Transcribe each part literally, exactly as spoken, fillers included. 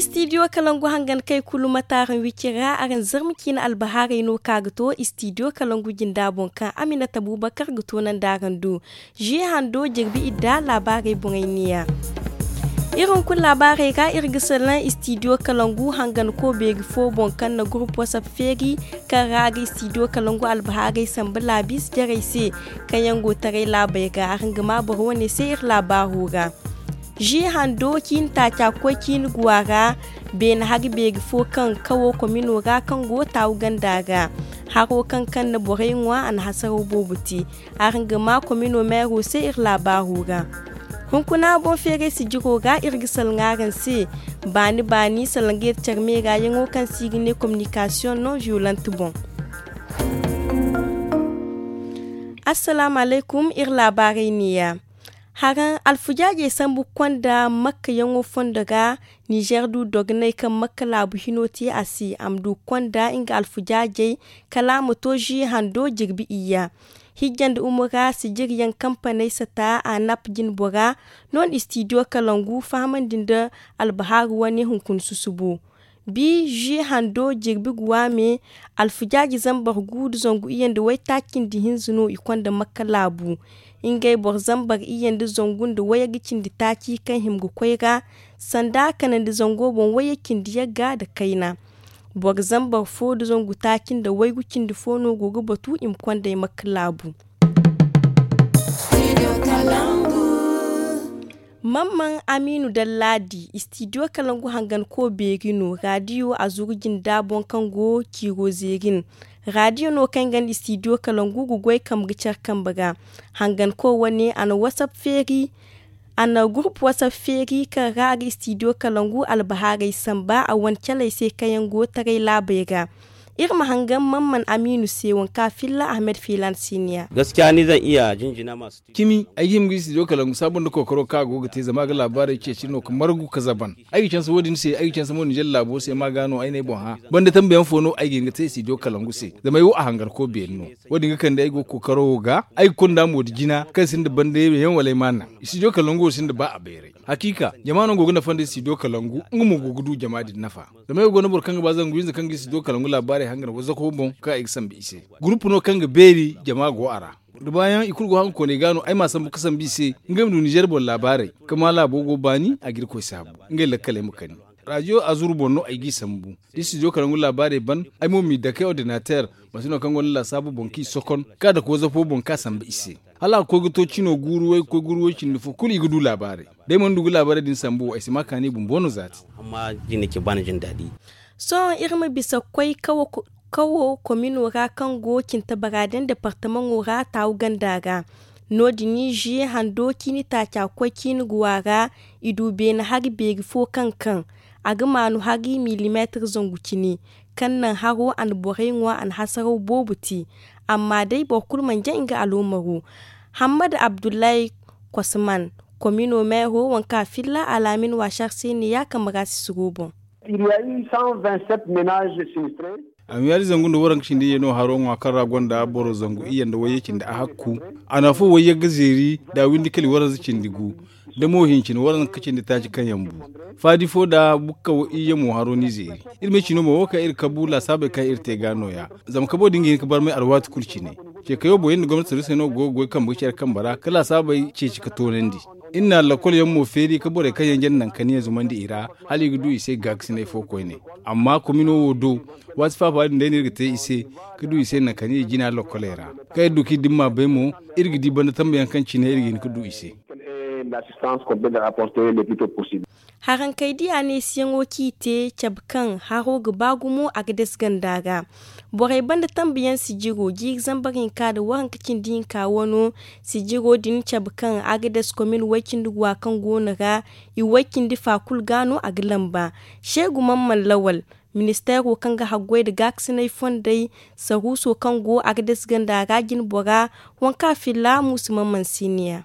Istidiyo kalangu hangan kay kulu mate araŋ wicira araŋ zarma ciine albahaarey no ka ga to istidiyo kalangu jinda boŋ kaŋ aminata bubakar ga toonandi araŋ do. Zi hando jirbi idda laabaarey boŋey neeya. Iri hunkuna laabaarey ra iri ga salaŋ istidiyo kalangu hangan ko beeri fo boŋ kaŋ na gurup wasap feeri kaŋ ra a ga istidiyo kalangu albahaarey samba laabis jarey se kaŋ yaŋ go taray laabey ra araŋ ga ma boro wane se iri laabaaro ra. Zi hando ciine taaca koy ciine guwa ra beene hari beeri fo kaŋ kawo komino ra kaŋ go taawu ganda ra. Haro kaŋ kaŋ na borey ŋwa a na hasaraw boobo te. Araŋ ga ma komino meero se iri laabaaro ra. Hunkuna boŋ feeray sijiro ra iri ga salaŋ araŋ se baani baani salaŋ ga iri care meera yaŋo kaŋ se i ga ne kominikasiyoŋ non viyolant boŋ. Assalaamu alaykum, iri laabaarey neeya. Haraŋ alfujaajey sambu konda makka yaŋo fondo ra. Nizer du dogonay kaŋ makka laabu hino te a se a ma du konda nga alfujaajey kala a ma to zi hando jirbi iyya. Hijja nda umura sijiryaŋ kampaney sata a nap jinbora no nda istidiyo kalangu fahamandi nda albahaaru wane hunkuna susubo. Bi zi hando jirbi guwa me alfujaaji zambar gu nda zangu iyye nda waytaaci nda hinza no i konda makka laabu. Ngey boro zambar iyye nda zangu nda wayga cindi taaci kaŋ hima ga koy ra sanda kanandi zango boŋ wayye cindi yagga nda kayna. Boro zambar fo nda zangu taaci nda waygu cindi fo no go ga batu i ma konday makka laabu. Mamman amiinu dallaadi istidiyo kalangu hangan ko beeri no raadiyo a zuru jinda boŋ kaŋ go ciiro zeerin. Raadiyo no kaŋ ganda istidiyo kalangu ga goy kambe ga care kambe ra. Hangan ko wane a na wasap feeri a na gurup wasap feeri kaŋ ra a ga istidiyo kalangu albahaarey samba a wane caley se kaŋ yaŋ go taray laabey ra. Iri ma hangan mamman amiinu se waŋ kaŋ a filla ahmed fiilan siiniya. Gaskiya ni zan iya jinjina masu cimi ay ga hima ga istidiyo kalangu saabu nda kookaro kaŋ a go ga te zama a ga laabaarey ceeci no ga margu ga zaban. Ay ga canse wo- din se ay ga canse mo ninzeer laabo se ma ga no ay n'ay boŋ hã. Banda tambayaŋ fo no ay ga hin ga te istidiyo kalangu se zama ay wo a hangar ko beeri no. Wo- din ga kande ay go ga kookaro wo ga ay ga konda mo nda jina kaŋ sinda banda yaŋ wala ay ma naŋ. Istidiyo kalangu wo sinda ba a bayray. Hakiika jama no go ga nafa nda istidiyo kalangu nga mo go ga du jama din nafa. Zama ay wo go no boro kaŋ ga ba zangu hinza kaŋ ga istidiyo kalangu laabaarey hangan wazako boŋ kaŋ ay ga sambu i se. Gurupu no kaŋ ga beeri jama go a ra. Da baayaŋ i kulu go haŋ ga koonay ga no ay m'a sambu ga sambu i se. Ngey ma du ninzeer boŋ laabaarey kaŋ ma laabo go baani a ga irkoy saabu. Ngey lakkaley ma kani. Raadiyo azuru boŋ no ay g'i sambu. Da istidiyo kalangu laabaarey ban ay mo m'i dake ordinateer. Mate no kaŋ gonda laasaabu boŋ kaŋ i sokon kaŋ a dake wazafo boŋ kaŋ a sambu i se. Hala a ga koy ga to cino guuru way ga koy guuru way cindi fo kulu i ga du laabaarey. Da ay mana du ga laabaarey din sambu wo ay si ma kaani bumbo no zaati. Sohõ iri ma bisa ga koy kawo komino ra kaŋ go cinta baraden departamaŋo ra taawu ganda ra. No- din zi hando ciini taaca koy ciini guwa ra. I du beene hari beeri fo kaŋ kaŋ a ga maanu hari milimeetir zangu cine. Kaŋ naŋ haro a na borey ŋwa a na hasaraw boobo te. Amma day boro kulu mana jaŋ nga aloomaro. Hammad abdullahi kosman komino meero waŋ kaŋ a filla alaamin waasar se ne ya kambe ra sisiro boŋ. A ma yaadi zangu nda waranka cindi iyye no haro ŋwa kaŋ ra gonda boro zangu iyye nda wayye cindi a hakku. A na afo wayye ga zeeri da a windi kali waranza cindi gu. Da mo hincin waranka cindi taaci kaŋ yaŋ bu faadi fo da bukka wo iyye mo haro n'i zeeri. Iri ma ay cino mo wo kaŋ iri kabu laasaabey kaŋ iri te ga no- ya. Zama kabo din ga hin ga barmay alwaati kulu cine. Ce kayo boŋ iri nda gomnati saruusey no go ga goy kambe ga care kambe ra ka laasaabey ceeci ka toonandi. Iri na lakkol yaŋ mo feeri ka borey kaŋ yaŋ jare nankaniya zumandi i ra hala i ga du i se gaakasinay fo koyne. Amma komino wo do waati faafa din day no iri ga te i se ka du i se nankaniya jina lakkoley ra. Kaŋ iri du kaŋ iri dimma bay mo iri ga di banda tambayaŋ kaŋ cine iri ga hin ka du i se. Harankey diya neesiyaŋo kaŋ i te cabe kaŋ haro ga ba gumo a ga dase ganda ra. Borey banda tambayaŋ sijiro jiiri zambar hinka nda waranka cindi hinka wano. Sijiro din cabe kaŋ a ga dase komin way-cindi guwa kaŋ go no ra i way-cindi fa kulu ga no a ga lamba. Seegu mamman lawal, ministeero kaŋ ga haggoy nda gaakasinay fondey saruuso kaŋ go a ga dase ganda ra jinbora. Waŋ kaŋ a filla muusu mamman siiniya.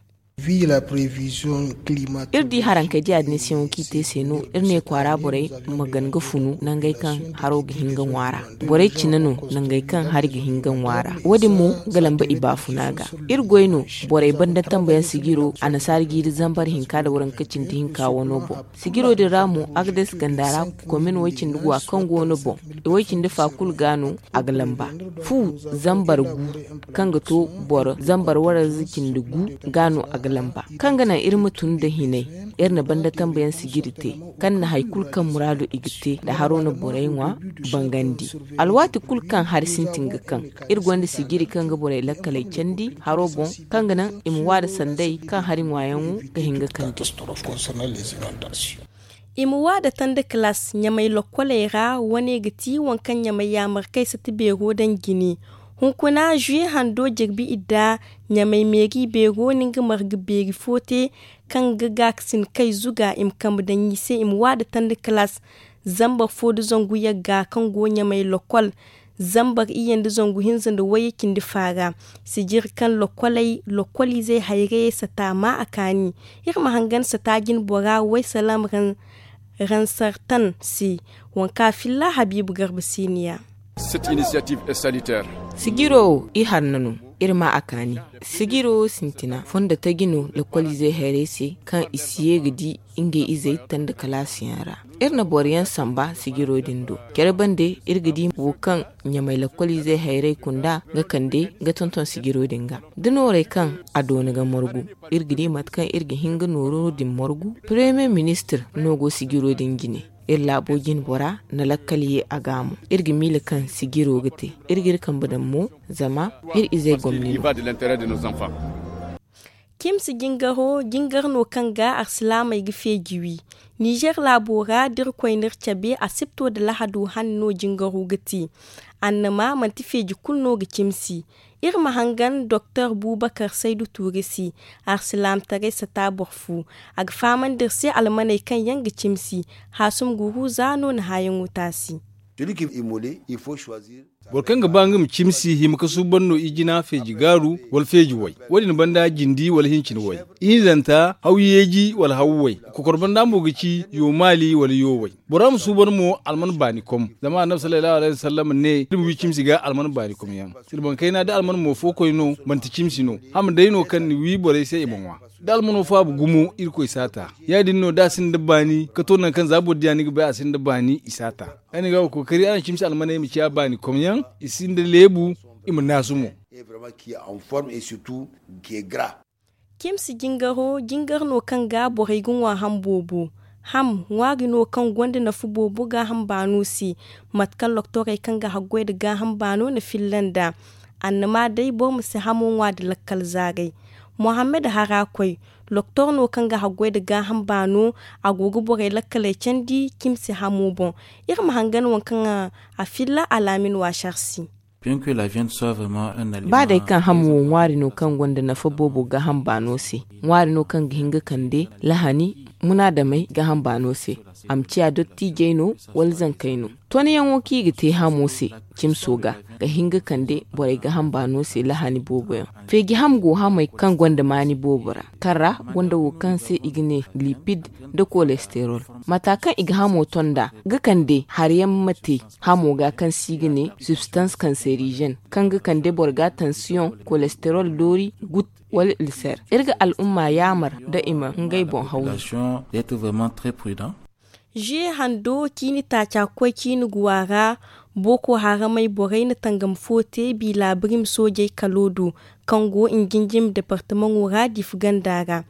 Iri di harankey diya din se yaŋo kaŋ i te se no iri ne kwaara borey ma gan ga funu nangey kaŋ haro ga hin ga ŋwa ra. Borey cine no nangey kaŋ hari ga hin ga ŋwa ra. Wo- din mo ga lamba i baafuna ga. Iri goy no borey banda tambayaŋ sijiro annasaara jiiri zambar hinka nda waranka cindi hinka wano boŋ. Sijiro din ra mo agades ganda ra komin way- cindi guwa kaŋ go no boŋ. I way- cindi fa kulu ga no a ga lamba. Fu zambar gu kaŋ ga to boro zambar waranza cindi gu ga no a ga lamba. Kaŋ ga naŋ iri ma tun nda hinay, iri na banda tambayaŋ sijiri te kaŋ na hari kulu kaŋ muraado i ga te nda haro na borey ŋwa bangandi. Alwaati kulu kaŋ hari sintin ga kaŋ, iri gonda sijiri kaŋ ga borey lakkaley candi haro boŋ, kaŋ ga naŋ i ma waada sanday kaŋ hari ŋwaayaŋo ga hin ga kande. I ma waada tanda kalaas ɲamay lokkoley ra. Wane ga ti waŋ kaŋ ɲamay yaamarkey sata beero daŋ jine. Hunkuna zuwe hando jirbi idda ɲamay meeri beero na nga marga beeri fo te, kaŋ ga gaakasin kay zuga i ma kambe daŋ i se i ma waada tanda kalaas zambar fo nda zangu yagga kaŋ go ɲamay lokkol. Zambar iyye nda zangu hinza nda wayye cindi faara. Sijiri kaŋ lokkoley lokkoliizey hayrayey sata maa a kaani. Iri ma hangan sata jinbora way salaam ransartan se. Waŋ kaŋ a filla habiibu garba siiniya. Sijiro wo i harna no. Iri ma a kaani. Sijiro wo sintina fondo taji no lokkoliizey hayrayey se kaŋ i si ye ga di ngey izey tanda kalaasiyaŋ ra. Iri na boro yaŋ samba sijiro din do. Care bande iri ga di wo kaŋ ɲamay lakkoliizey hayrey kunda ga kande ga tonton sijiro din ga. Da noorey kaŋ a doona ga margu, iri ga di mate kaŋ iri ga hin ga nooro din margu. Paremiye ministir no go sijiro din jine. Iri laabo jinbora na lakkal ye a gaamo. Iri ga miila kaŋ sijiro ga te. Iri ga iri kambe daŋ mo zama iri izey gomni no. Kimsi jingaro jingar no kaŋ ga arsilaamey ga feeji wi. Nizer laabo ra da irkoy n'iri cabe asibto nda lahado hanno jingaro ga te. Annama manti feeji kulu no ga cimsi. Iri ma hangan doktor bubakar saydu tuuri se. Arsilaamtaray sata boro fu. A ga fahamandi iri se almaney kaŋ yaŋ ga cimsi. Haasum guruza no na haayaŋo taasi. Boro kaŋ ga ba nga ma cimsi hima ga suuban no ijina feeji gaaru wala feeji way. Wo- din banda jindi wala hincin way. Ihinzanta haw yeeji wala haw way. Kokor banda mo ga ci yo maali wala yo way. Bora ma suuban mo alman baani kom. Zama annabi sallallahu alayhi wasallam ne iri ma wi cimsi ga alman baani kom yaŋ. Silban kayna da alman mo fo koy no manti cimsi no. Hama day no kaŋ ni wi borey se i ma ŋwa. Da almano faaba gumo irkoy saata. Ya- din no da a sinda baani ka to nangu kaŋ za boro diya ni ga bay a sinda baani i saata. Ay na ga ga kookari araŋ cimsi almaney ma ciya baani komyaŋ i sinda leebu. I ma naasu mo. Cimsi jingaro jingar no kaŋ ga borey ga ŋwa ham boobo. Ham ŋwaari no kaŋ gonda nafa boobo gaaham baano se. Mate kaŋ loktorey kaŋ ga haggoy nda gaaham baano na filla nd'a. Annama day boro ma si hamo ŋwa nda lakkal zaaray. Mohammed harakoy loktor no kaŋ ga haggoy nda gaaham baano. A go ga borey lakkaley candi cimsi hamo boŋ. Iri ma hangan waŋ kaŋ a filla alaamin waasar se. Ba day kaŋ hamo wo ŋwaari no kaŋ gonda nafa boobo gaaham baano se. Ŋwaari no kaŋ ga hin ga kande lahani munaadamey gaaham baano se. A ma ciya dottiijey no wala zankey no. Tonyaŋo kaŋ i ga te hamo se cimso ga ga hin ga kande borey gaaham baano se lahani boobo yaŋ. Feeji ham go hamey kaŋ gonda maani boobo ra kaŋ ra gonda wo kaŋ se i ga ne lipid nda kolesterol. Mata kaŋ i ga hamo tonda ga kande hari yaŋ ma te hamo ga kaŋ se i ga ne substans kanserizen kaŋ ga kande boro ga tansiyoŋ, kolesterol doori, gut, wala ilser. Iri ga al'umma yaamar nda i ma ngey boŋ hawzu. Zuye hando ciini taaca koy ciini guwa ra. Boko haramey borey na tangam fo te bi laabirim soojey kalo do kaŋ go njinjim departamaŋo ra difu ganda ra.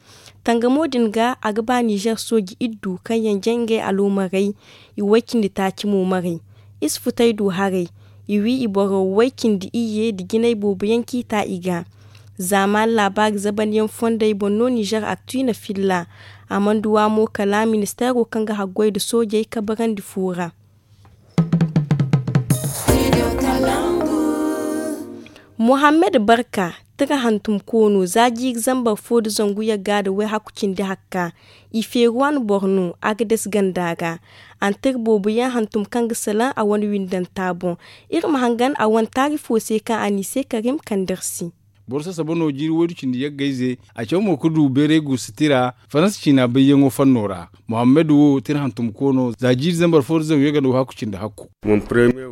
Tangamo din ga a ga ba nizer sooji iddu kaŋ yaŋ jay ngey aloomarey. I way cindi taaci mo marey. Isi futay du haray. I wi i boro way cindi iyye nda jinay boobo yaŋ ciita i ga. Zaamaan laabaari zabanyaŋ fondey boŋ no nizer aktu i na filla. A mana duwa mo kala ministeero kaŋ ga haggoy nda soojey kabarandi fu ra. Mohammed barka tira hantum koono za jiiri zambar fo nda zangu yagga nda wayhaku cindi hakka. I feeruwan boro no agades ganda ra. Antir boobo yaŋ hantum kaŋ ga salaŋ a wane windanta boŋ. Iri ma hangan a wane taari fo se kaŋ a n'i se karim kandar se. Boro sasaba no jiiri waydu cindi yaggayze. A caw mo ga du bayray guusu tira faransa ciina bayyaŋo fanno ra. Muhammad wo tira hantumko no za jiiri zambar fo da zangu yagga no haaku cindi hakku.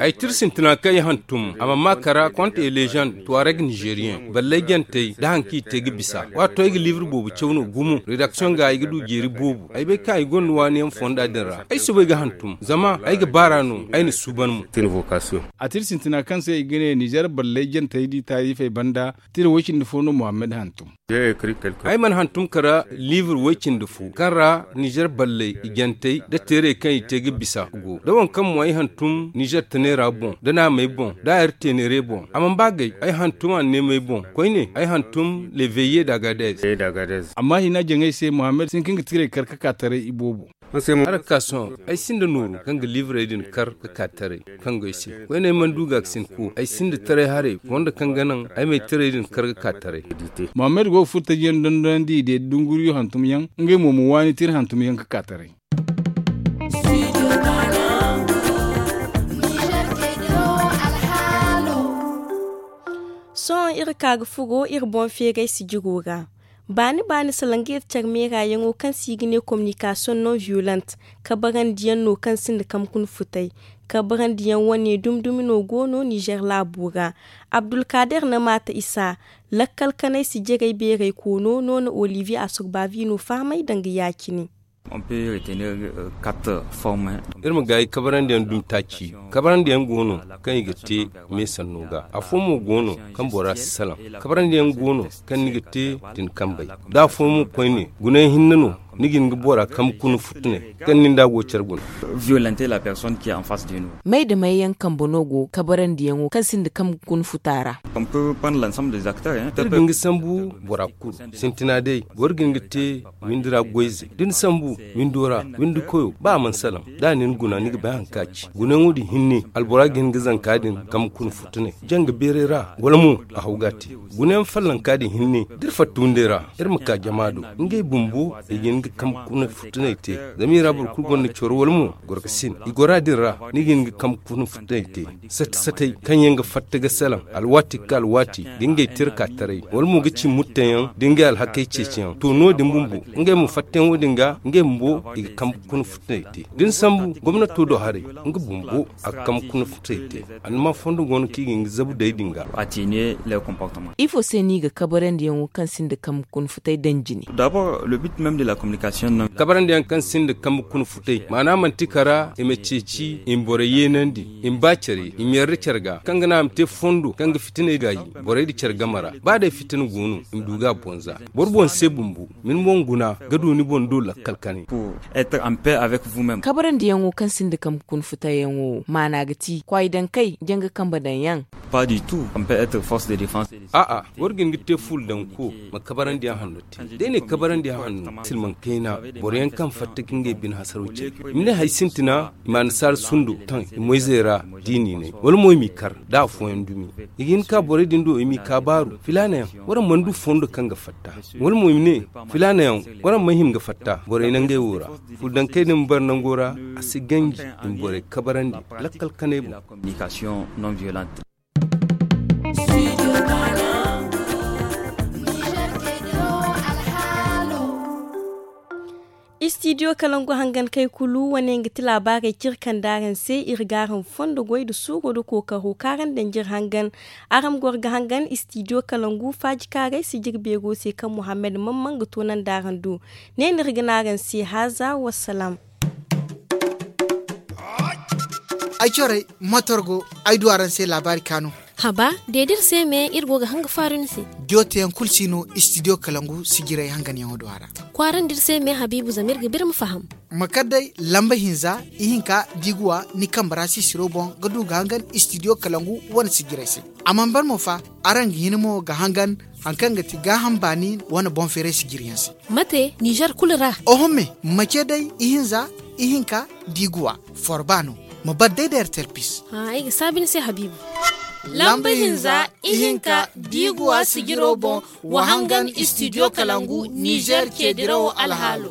Ay tira sintina kaŋ ay hantum a mana ma kara konte elejan tuwareg nizeriyen ballay jantey nda hari kaŋ i te ga bisa. Waato ay ga liibir boobo caw no gumo redaksiyoŋ ga ay ga du jeeri boobo. Ay bay kaŋ ay gonda waani yaŋ fonda din ra ay soobay ga hantum zama ay ga baara no ay na suuban mo. A tira sintina kaŋ se i ga ne nizer ballay jantey da i taarifey banda. Tira way cindi fo no muhammad hantum. Ay mana hantum kara liibir way cindi fo kaŋ ra nizer balley i jantey nda teerey kaŋ i te ga bisa go da waŋ kaŋ mo ay hantum nizer taneera boŋ nda naamey boŋ nda a yar teeneere boŋ a mana ba gay ay hantum anneemey boŋ koyne ay hantum leveye da agadez. Amma hina jaŋay se muhammad si hin kaŋ ga tirey kar ga ka taray iboobo. Araŋ ga ka sohõ ay sinda nooru kaŋ ga liibrey din kar ga ka taray kaŋ go ay se. Koyne ay mana du ga ga sinko ay sinda taray haray fondo kaŋ ga naŋ ay ma ay taray din kar ga ka taray. Muhammad go ga furo taji yaŋ dondonandi i de dunguriyo hantum yaŋ ngey mo ma waani tira hantum yaŋ ga ka taray. Sohõ iri ka ga furo iri boŋ feeray sijiro ra. Baani baani salaŋ ga iri care meerayaŋo kaŋ se i ga ne kominikasiyoŋ non viyolent kabarandiyaŋ no kaŋ sinda kamkuna futay. Kabarandiyaŋ wane dumi dumi no go no nizer laabo ra. Abdulkader na maata isa lakkal kanay sijiray beeray koono no na oliviye asurbavi no fahamay danga ya- cine. Iri ma gaayi kabarandiyaŋ dumi taaci. Kabarandiyaŋ go no kaŋ i ga te meesanno ga afo mo go no kaŋ bora si salaŋ. Kabarandiyaŋ go no kaŋ ni ga te din kambey da afo mo koyne gunayaŋ hinne no ni ga hin ga bora kambe kuna futunay kaŋ ni nd'a go care guna. May da may yaŋ kambe no go kabarandiyaŋo kaŋ sinda kambe kuna futa ra? Iri ga hin ga sambu bora kulu sintina day boro ga hin ga te windi ra goyze da ni sambu windo ra windi koyo ba a mana salaŋ da a na ni guna ni ga bay hari kaŋ a ci gunayaŋo din hinne albora ga hin ga zanka din kambe kuna futunay janga beeray ra wala mo a haw ga a te. Gunayaŋ fallanka din hinne da iri fatta windey ra iri ma ka jama do ngey bumbo i ga hin ga kambe kuna futunay te. Zama i ra boro kulu gonda coro wala mo gorkasin i gora din ra ni ga hin ga kambe kuna futunay te. Sate satey kaŋ yaŋ ga fatta ga salaŋ alwaati ga ka alwaati ga ngey tira ka taray wala mo ga ci mutteyaŋ da ngey alhakey ceeciyaŋ to no- din bumbo ngey ma fattayaŋo din ga ngey bumbo i ga kambe kuna futunay te da ni sambu gomnato do haray nga bumbo a ga kambe kuna futunay te. Annama fondo go no kaŋ i ga hin ga zabu day din ga. Ifo se no i ga kabarandiyaŋo kaŋ sinda kambe kuna futay daŋ jine? Kabarandiyaŋ kaŋ sinda kambe kuna futay maana manti kara i ma ceeci i ma borey yeenandi i ma ba care i ma yarda care ga kaŋ ga naŋ a ma te fondo kaŋ ga fitiney gaayi borey nda care game ra ba day fitina go no i ma du ga a bonza. Boro boŋ se bumbo ma ni boŋ guna ga du ni boŋ do lakkal kanay. Kabarandiyaŋo kaŋ sinda kambe kuna futayyaŋo maana ga ti kwaay daŋ kay janga kambe daŋ yaŋ. A'a, boro ga hin ga te fuula daŋ ko ma kabarandiyaŋ hanno te day ne kabarandiyaŋ hanno silmaŋ kayna. Boro yaŋ kaŋ fatta ga ngey bine hasaro ce i ma ne hari sintina i ma annasaara sundo taŋ i moyzey ra diini ne wala mo i m'i kar da afooyaŋ dumi. I ga hin ka borey din do i m'i kaabaaru filaana yaŋ waraŋ mana du fondo kaŋ ga fatta wala mo i ma ne filaana yaŋ waraŋ mana hima ga fatta borey nangey wo ra. Fuula daŋ kay din ma bare nango ra a si ganji i ma borey kabarandi lakkal kanay boŋ. Istidiyo kalangu hangan kay kulu wane nga ti laabaarey kaŋ iri kande araŋ se. Iri ga araŋ fondo goy nda suuro nda kookaro kaŋ araŋ daŋ jiri hangan. Araŋ ma goro ga hangan istidiyo kalangu faaji kaaray sijiri beero se kaŋ muhammad mamman ga toonandi araŋ do. Ne no iri ga ne araŋ se haaza wassalaam. Ay corey motor go ay du araŋ se laabaari kaanu. Haba, de da iri se me iri go ga hanga faaru ni se. Jooteyaŋ kulu si no istidiyo kalangu sijirey hanganyaŋo do a ra. Kwaarandi iri se me habiibu zama iri ga birma faham. Ma kar day lamba hinza ihinka diiguwa ni kambe ra sisiro boŋ ga du ga hangan istidiyo kalangu wane sijirey se. A mana ban mo fa, araŋ ga hin mo ga hangan hari kaŋ ga ti gaaham baani wane boŋ feeray sijiriyaŋ se. Mate nizer kulu ra? Oho me, ma ce day ihinza ihinka diiguwa forba no. Ma bar day da ertel pis. Ay ga saabi ni se habiibu. Lamba hinza ihinka diiguwa sijiro boŋ, wa hangan istidiyo kalangu nizer ceedirawo alhaalo.